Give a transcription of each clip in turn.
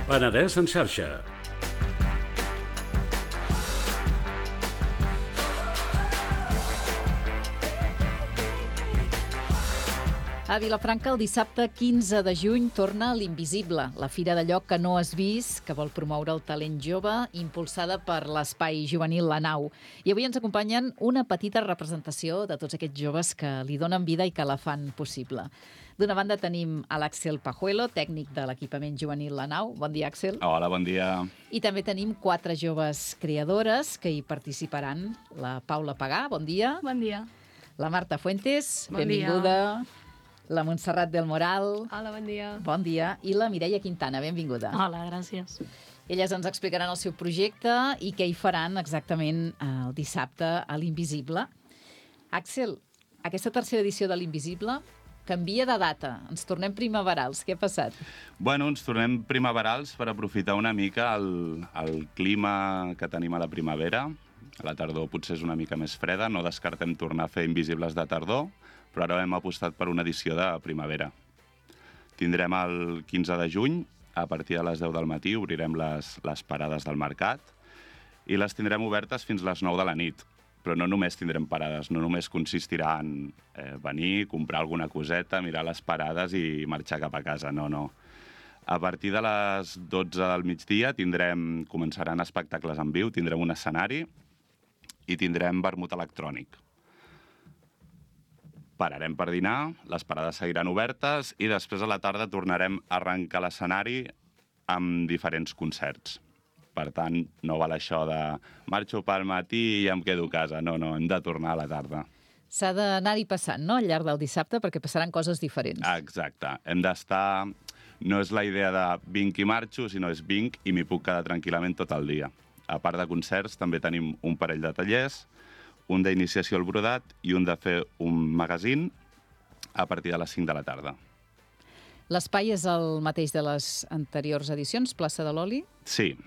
Penedès en xarxa. A Vilafranca, el dissabte 15 de juny, torna l'Invisible, la fira d'allò que no has vist, que vol promoure el talent jove, impulsada per l'espai juvenil La Nau. I avui ens acompanyen una petita representació de tots aquests joves que li donen vida i que la fan possible. D'una banda tenim a l'Àxel Pajuelo, tècnic de l'equipament juvenil La Nau. Bon dia, Àxel. Hola, bon dia. I també tenim 4 joves creadores que hi participaran. La Paula Pagà, bon dia. Bon dia. La Marta Fuentes, Bon benvinguda. La Montserrat del Moral. Hola, bon dia. Bon dia. I la Mireia Quintana, benvinguda. Hola, gràcies. Elles ens explicaran el seu projecte i què hi faran exactament el dissabte a l'Invisible. Àxel, aquesta tercera edició de l'Invisible canvia de data. Ens tornem primaverals. Què ha passat? Bueno, ens tornem primaverals per aprofitar una mica el clima que tenim a la primavera. A la tardor potser és una mica més freda, no descartem tornar a fer Invisibles de tardor, però ara hem apostat per una edició de primavera. Tindrem el 15 de juny, a partir de les 10 del matí, obrirem les parades del mercat i les tindrem obertes fins les 9 de la nit. Però no només tindrem parades, no només consistirà en venir, comprar alguna coseta, mirar les parades i marxar cap a casa, no. A partir de les 12 del migdia començaran espectacles en viu, tindrem un escenari i tindrem vermut electrònic. Pararem per dinar, les parades seguiran obertes i després a la tarda tornarem a arrencar l'escenari amb diferents concerts. Per tant, no val això de marxo pel matí i em quedo a casa. No, hem de tornar a la tarda. S'ha d'anar-hi passant, no?, al llarg del dissabte, perquè passaran coses diferents. Exacte. Hem d'estar... No és la idea de vinc i marxo, sinó és vinc i m'hi puc quedar tranquil·lament tot el dia. A part de concerts, també tenim un parell de tallers, un d'iniciació al brodat i un de fer un magazín a partir de les 5 de la tarda. L'espai és el mateix de les anteriors edicions, plaça de l'Oli? Sí,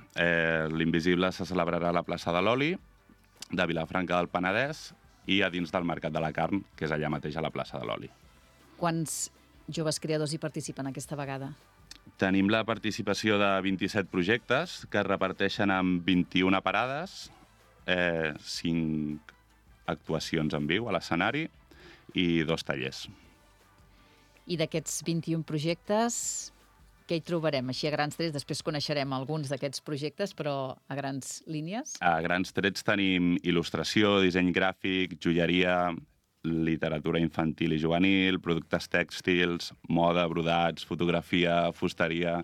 l'Invisible se celebrarà a la plaça de l'Oli, de Vilafranca del Penedès i a dins del Mercat de la Carn, que és allà mateix a la plaça de l'Oli. Quants joves creadors hi participen aquesta vegada? Tenim la participació de 27 projectes que es reparteixen en 21 parades, 5 actuacions en viu a l'escenari i 2 tallers. I d'aquests 21 projectes, què hi trobarem? Així a grans trets, després coneixerem alguns d'aquests projectes, però a grans línies? A grans trets tenim il·lustració, disseny gràfic, joieria, literatura infantil i juvenil, productes tèxtils, moda, brodats, fotografia, fusteria...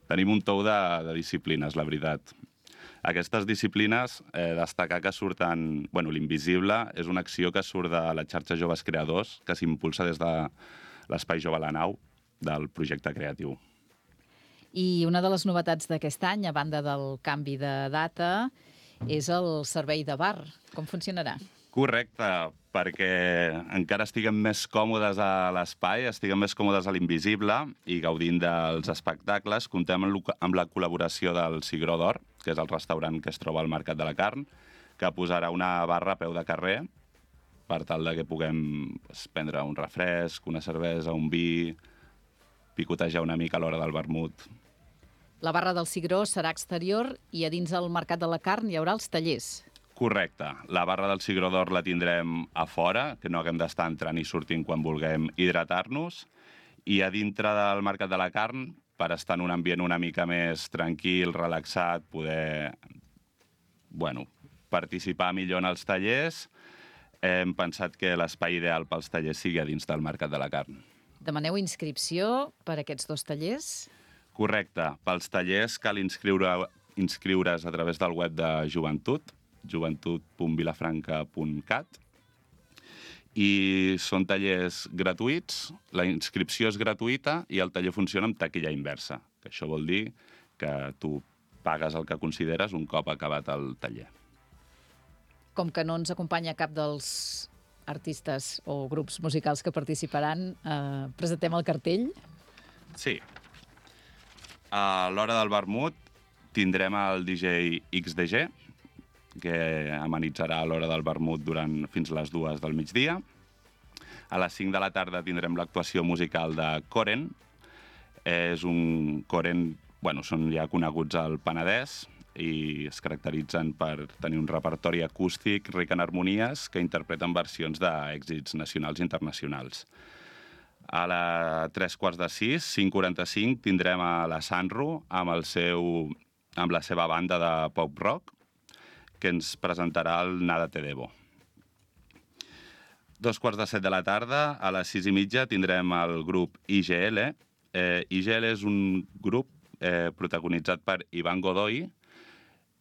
Tenim un tou de disciplines, la veritat. Aquestes disciplines, destacar que surten... l'Invisible és una acció que surt de la xarxa Joves Creadors, que s'impulsa des de l'Espai Jove La Nau, del projecte creatiu. I una de les novetats d'aquest any, a banda del canvi de data, és el servei de bar. Com funcionarà? Correcte, perquè encara estiguem més còmodes a l'espai, estiguem més còmodes a l'Invisible i gaudint dels espectacles, comptem amb la col·laboració del Cigró d'Or, que és el restaurant que es troba al Mercat de la Carn, que posarà una barra a peu de carrer per tal de que puguem prendre un refresc, una cervesa, un vi, picotejar una mica a l'hora del vermut. La barra del Cigró serà exterior i a dins del Mercat de la Carn hi haurà els tallers. Correcte. La barra del Cigró d'Or la tindrem a fora, que no haguem d'estar entrant i sortint quan vulguem hidratar-nos, i a dintre del Mercat de la Carn, per estar en un ambient una mica més tranquil, relaxat, poder participar millor en els tallers, hem pensat que l'espai ideal pels tallers sigui a dins del Mercat de la Carn. Demaneu inscripció per a aquests 2 tallers? Correcte. Pels tallers cal inscriure's a través del web de Joventut, joventut.vilafranca.cat, i són tallers gratuïts, la inscripció és gratuïta i el taller funciona amb taquilla inversa, que això vol dir que tu pagues el que consideres un cop acabat el taller. Com que no ens acompanya cap dels artistes o grups musicals que participaran, presentem el cartell? Sí. A l'hora del vermut tindrem el DJ XDG, que amenitzarà a l'hora del vermut fins les 2 del migdia. A les 5 de la tarda tindrem l'actuació musical de Koren. És un Koren són ja coneguts al Penedès i es caracteritzen per tenir un repertori acústic ric en harmonies que interpreten versions d'èxits nacionals i internacionals. A la 5:45, 5:45, tindrem a la Sanro amb la seva banda de pop-rock, que ens presentarà el Nada te debo. 7:15 de la tarda, a les 6:30, tindrem el grup IGL. IGL és un grup protagonitzat per Ivan Godoy.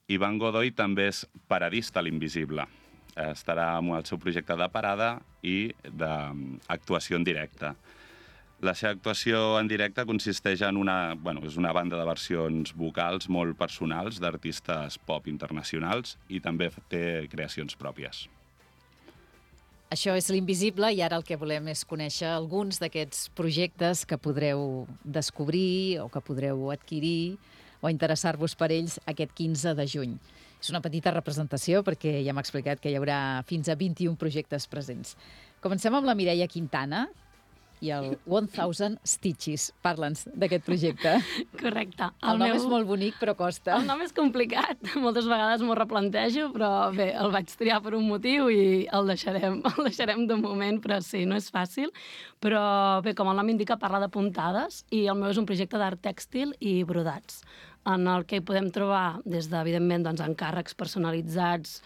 Ivan Godoy també és paradista a l'Invisible. Estarà amb el seu projecte de parada i d'actuació en directe. La seva actuació en directe consisteix en és una banda de versions vocals molt personals d'artistes pop internacionals i també té creacions pròpies. Això és l'Invisible i ara el que volem és conèixer alguns d'aquests projectes que podreu descobrir o que podreu adquirir o interessar-vos per ells aquest 15 de juny. És una petita representació perquè ja m'ha explicat que hi haurà fins a 21 projectes presents. Comencem amb la Mireia Quintana i el 1000 Stitches. Parla'ns d'aquest projecte. Correcte. El nom és molt bonic, però costa. El nom és complicat. Moltes vegades m'ho replantejo, però bé, el vaig triar per un motiu i el deixarem de moment, però sí, no és fàcil. Però bé, com el nom indica, parla de puntades i el meu és un projecte d'art tèxtil i brodats, en el que hi podem trobar des de, evidentment, encàrrecs personalitzats,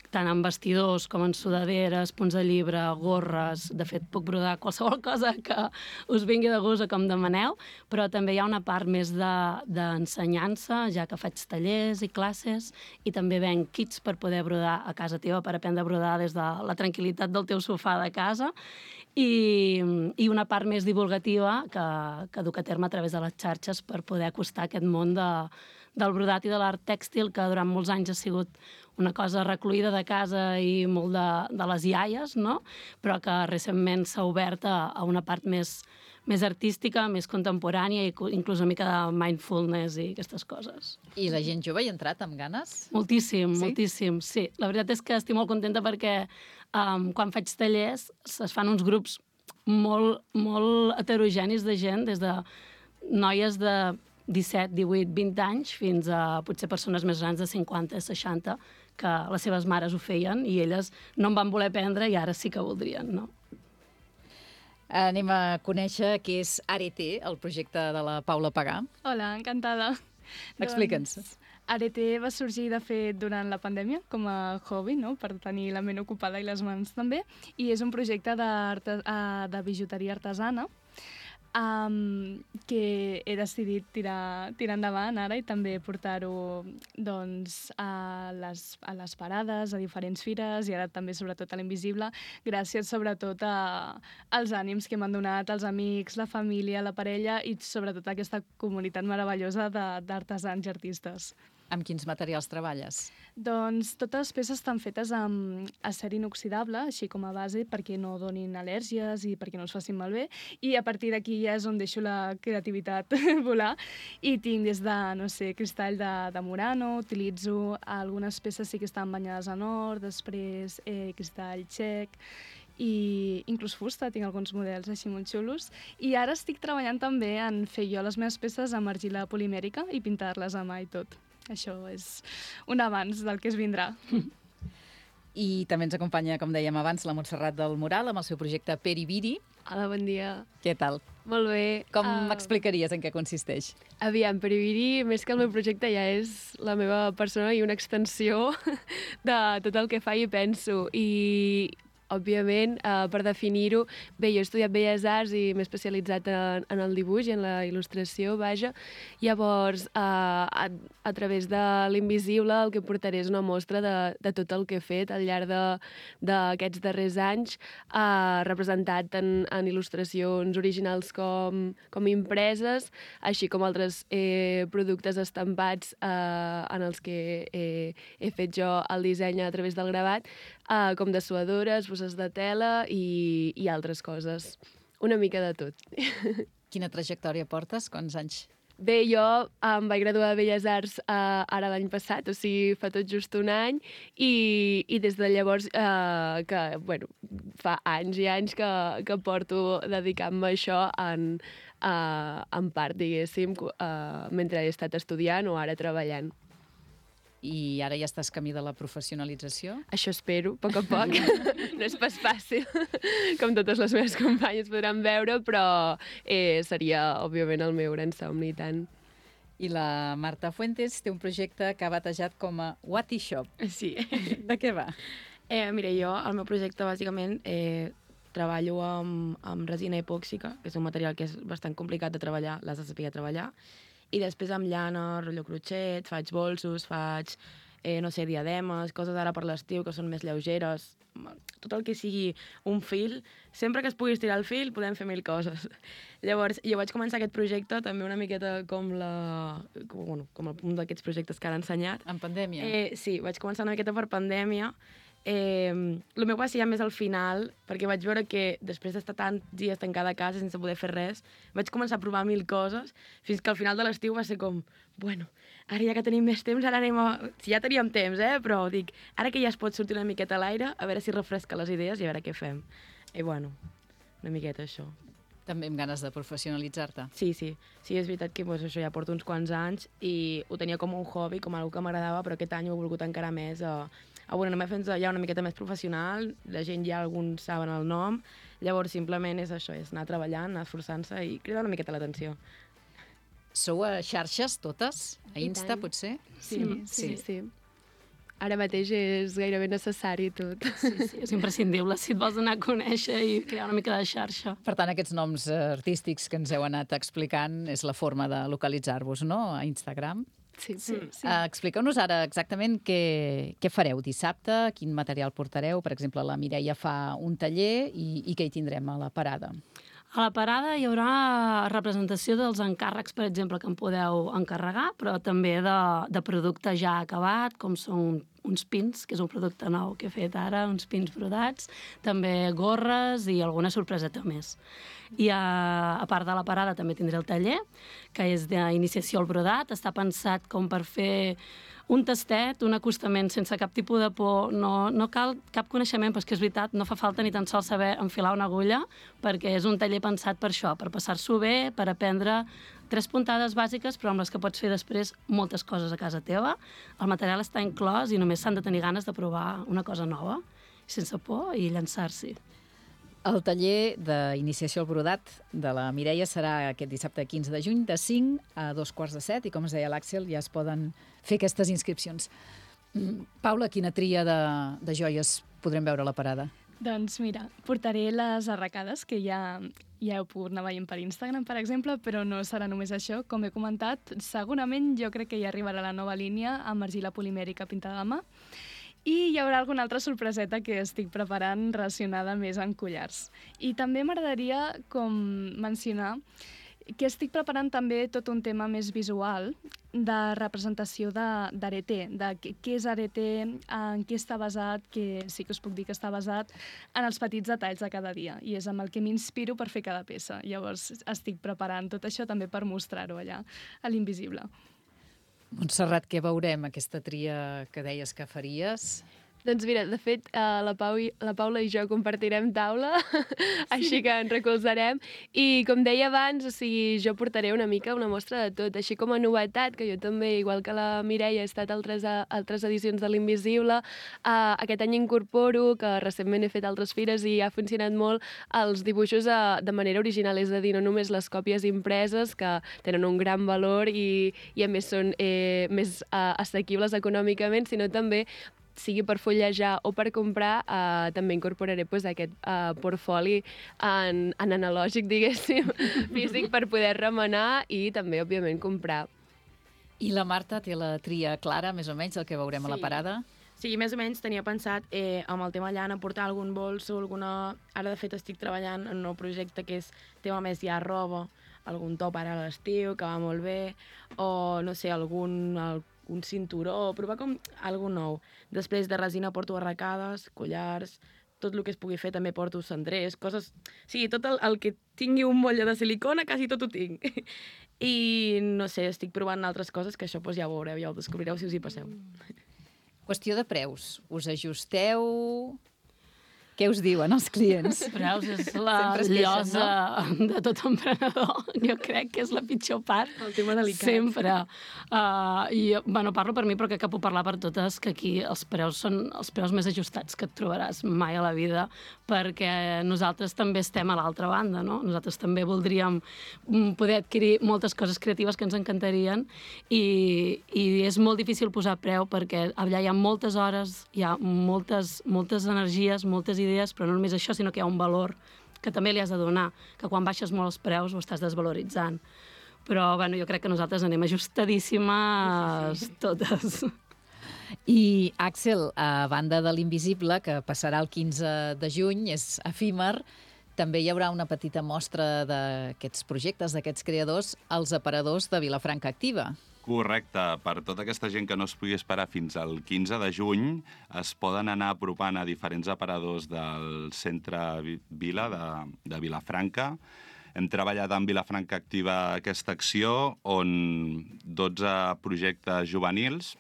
tant en vestidors com en sudaderes, punts de llibre, gorres. De fet, puc brodar qualsevol cosa que us vingui de gust o com demaneu, però també hi ha una part més d'ensenyança, ja que faig tallers i classes, i també venc kits per poder brodar a casa teva, per aprendre a brodar des de la tranquil·litat del teu sofà de casa, i una part més divulgativa que duc a terme a través de les xarxes per poder acostar aquest món del brodat i de l'art tèxtil, que durant molts anys ha sigut una cosa recluïda de casa i molt de les iaies, no? Però que recentment s'ha obert a una part més artística, més contemporània i inclús una mica de mindfulness i aquestes coses. I la gent jove hi ha entrat amb ganes? Moltíssim, moltíssim, sí. La veritat és que estic molt contenta perquè quan faig tallers es fan uns grups molt, molt heterogenis de gent, des de noies de 17, 18, 20 anys fins a potser persones més grans de 50, 60, que les seves mares ho feien i elles no en van voler aprendre i ara sí que voldrien, no? Anem a conèixer què és Arete, el projecte de la Paula Pagà. Hola, encantada. Explica'ns. Arete va sorgir, de fet, durant la pandèmia, com a hobby, no?, per tenir la ment ocupada i les mans també, i és un projecte de bijuteria artesana que he decidit tirar endavant ara i també portar-ho a les parades, a diferents fires i ara també sobretot a l'Invisible, gràcies sobretot als ànims que m'han donat els amics, la família, la parella i sobretot aquesta comunitat meravellosa d'artesans i artistes. Amb quins materials treballes? Doncs totes les peces estan fetes amb acer inoxidable, així com a base, perquè no donin al·lèrgies i perquè no es facin malbé. I a partir d'aquí ja és on deixo la creativitat volar. I tinc des de, cristall de Murano, utilitzo algunes peces sí que estan banyades en or, després cristall txec, i inclús fusta, tinc alguns models així molt xulos. I ara estic treballant també en fer jo les meves peces amb argila polimèrica i pintar-les a mà i tot. Això és un avanç del que es vindrà. I també ens acompanya, com dèiem abans, la Montserrat del Moral amb el seu projecte Peribiri. Hola, bon dia. Què tal? Molt bé. Com m'explicaries en què consisteix? Aviam, Peribiri, més que el meu projecte, ja és la meva persona i una extensió de tot el que fa i penso. I òbviament, per definir-ho, bé, jo he estudiat Belles Arts i m'he especialitzat en el dibuix i en la il·lustració, vaja. Llavors, a través de l'Invisible el que portaré és una mostra de tot el que he fet al llarg d'aquests darrers anys, representat en il·lustracions originals com impreses, així com altres productes estampats en els que he fet jo el disseny a través del gravat, com dessuadores, bosses de tela i altres coses. Una mica de tot. Quina trajectòria portes? Quants anys Bé, jo em vaig graduar de Belles Arts ara l'any passat, o sigui, fa tot just un any, i des de llavors, fa anys i anys que porto dedicant-me a això en part, diguéssim, mentre he estat estudiant o ara treballant. I ara ja estàs camí de la professionalització? Això espero, a poc a poc. No és pas fàcil, com totes les meves companyes podran veure, però seria, òbviament, el meu gran somni, i tant. I la Marta Fuentes té un projecte que ha batejat com a Wati Shop. Sí. De què va? Mira, jo, el meu projecte, bàsicament, treballo amb resina epòxica, que és un material que és bastant complicat de treballar, l'has de saber treballar, i després amb llana, rotllo crotxet, faig bolsos, faig, no sé, diademes, coses ara per l'estiu que són més lleugeres, tot el que sigui un fil, sempre que es pugui estirar el fil podem fer mil coses. Llavors, jo vaig començar aquest projecte també una miqueta com un d'aquests projectes que ara he ensenyat. En pandèmia? Sí, vaig començar una miqueta per pandèmia. El meu va ser ja més al final, perquè vaig veure que després d'estar tants dies tancada a casa sense poder fer res, vaig començar a provar mil coses, fins que al final de l'estiu va ser com, bueno, ara ja que tenim més temps, ara anem a... Si ja teníem temps, però dic, ara que ja es pot sortir una miqueta a l'aire, a veure si refresca les idees i a veure què fem. I bueno, una miqueta això. També amb ganes de professionalitzar-te. Sí, és veritat que això ja porto uns quants anys i ho tenia com un hobby, com algo que m'agradava, però aquest any ho he volgut encara més anar fent ja una miqueta més professional, la gent ja alguns saben el nom, llavors simplement és això, és anar treballant, anar esforçant-se i cridar una miqueta l'atenció. Sou a xarxes totes? A Insta, potser? Sí. Ara mateix és gairebé necessari tot. Sí, és imprescindible si et vols anar a conèixer i crear una mica de xarxa. Per tant, aquests noms artístics que ens heu anat explicant és la forma de localitzar-vos, no?, a Instagram. Sí. Expliqueu-nos ara exactament què fareu dissabte, quin material portareu. Per exemple, la Mireia fa un taller i què hi tindrem a la parada? A la parada hi haurà representació dels encàrrecs, per exemple, que em podeu encarregar, però també de producte ja acabat, com són uns pins, que és un producte nou que he fet ara, uns pins brodats, també gorres i alguna sorpreseta més. I a part de la parada també tindré el taller, que és d'iniciació al brodat. Està pensat com per fer un tastet, un acostament sense cap tipus de por. No cal cap coneixement, però és que és veritat, no fa falta ni tan sols saber enfilar una agulla, perquè és un taller pensat per això, per passar-s'ho bé, per aprendre 3 puntades bàsiques, però amb les que pots fer després moltes coses a casa teva. El material està inclòs i només s'han de tenir ganes de provar una cosa nova, sense por, i llançar-s'hi. El taller d'iniciació al brodat de la Mireia serà aquest dissabte 15 de juny de 5 a 2:15 i, com es deia l'Àxel, ja es poden fer aquestes inscripcions. Paula, quina tria de joies podrem veure a la parada? Doncs mira, portaré les arracades, que ja heu pogut anar veient per Instagram, per exemple, però no serà només això. Com he comentat, segurament jo crec que ja arribarà la nova línia amb argila polimèrica pintada a mà. I hi haurà alguna altra sorpreseta que estic preparant relacionada més amb collars. I també m'agradaria mencionar que estic preparant també tot un tema més visual de representació d'areter, de què és areter, en què està basat, que sí que us puc dir que està basat en els petits detalls de cada dia, i és amb el que m'inspiro per fer cada peça. Llavors estic preparant tot això també per mostrar-ho allà, a l'Invisible. Montserrat, què veurem, aquesta tria que deies que faries? Doncs mira, de fet, la Paula i jo compartirem taula, així que ens recolzarem. I com deia abans, o sigui, jo portaré una mica una mostra de tot, així com a novetat, que jo també, igual que la Mireia, he estat a altres edicions de l'Invisible. Aquest any incorporo, que recentment he fet altres fires i ha funcionat molt, els dibuixos de manera original, és a dir, no només les còpies impreses, que tenen un gran valor i a més són més assequibles econòmicament, sinó també sigui per fullejar o per comprar, també incorporaré aquest portfoli en analògic, diguéssim, físic, per poder remenar i també, òbviament, comprar. I la Marta té la tria clara, més o menys, del que veurem a la parada? Sí, més o menys tenia pensat amb el tema llana portar algun bolso, Ara, de fet, estic treballant en un nou projecte que és tema més ja roba, algun top ara a l'estiu, que va molt bé, o, no sé, un cinturó, provar com algo nou. Després de resina porto arracades, collars, tot el que es pugui fer, també porto cendrers, coses... Sí, tot el que tingui un motlle de silicona, quasi tot ho tinc. I, no sé, estic provant altres coses que això ja ho veureu, ja ho descobrireu si us hi passeu. Qüestió de preus. Us ajusteu... Què us diuen els clients? Preus és la Sempre es queixen, llosa de tot emprenedor. Jo crec que és la pitjor part. El tema delicat. Sempre. Bueno, parlo per mi, però crec que puc parlar per totes, que aquí els preus són els preus més ajustats que et trobaràs mai a la vida, perquè nosaltres també estem a l'altra banda, no? Nosaltres també voldríem poder adquirir moltes coses creatives que ens encantarien i és molt difícil posar preu perquè allà hi ha moltes hores, hi ha moltes energies, moltes idees, però no només això, sinó que hi ha un valor que també li has de donar, que quan baixes molt els preus ho estàs desvaloritzant. Però bueno, jo crec que nosaltres anem ajustadíssimes totes. I, Àxel, a banda de l'Invisible, que passarà el 15 de juny, és efímer, també hi haurà una petita mostra d'aquests projectes, d'aquests creadors, als aparadors de Vilafranca Activa. Correcte. Per tota aquesta gent que no es pugui esperar fins al 15 de juny, es poden anar apropant a diferents aparadors del centre Vila de Vilafranca. Hem treballat amb Vilafranca Activa aquesta acció on 12 projectes juvenils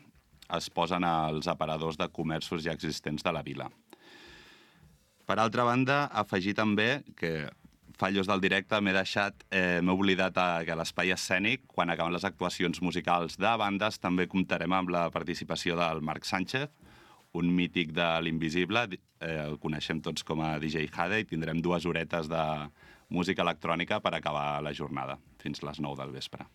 es posen als aparadors de comerços ja existents de la vila. Per altra banda, afegir també que fallos del directe, m'he oblidat que a l'Espai Escènic, quan acaben les actuacions musicals de bandes, també comptarem amb la participació del Marc Sánchez, un mític de l'Invisible, el coneixem tots com a DJ Jade, i tindrem 2 horetes de música electrònica per acabar la jornada, fins les 9 del vespre.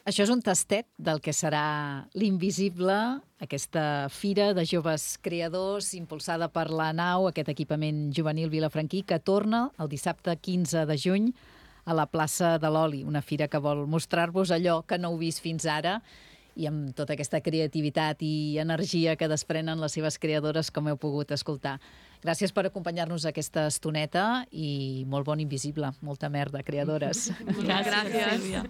Això és un tastet del que serà l'Invisible, aquesta fira de joves creadors impulsada per la Nau, aquest equipament juvenil vilafranquí, que torna el dissabte 15 de juny a la plaça de l'Oli, una fira que vol mostrar-vos allò que no heu vist fins ara i amb tota aquesta creativitat i energia que desprenen les seves creadores, com heu pogut escoltar. Gràcies per acompanyar-nos aquesta estoneta i molt bon Invisible. Molta merda, creadores. Gràcies, Sílvia.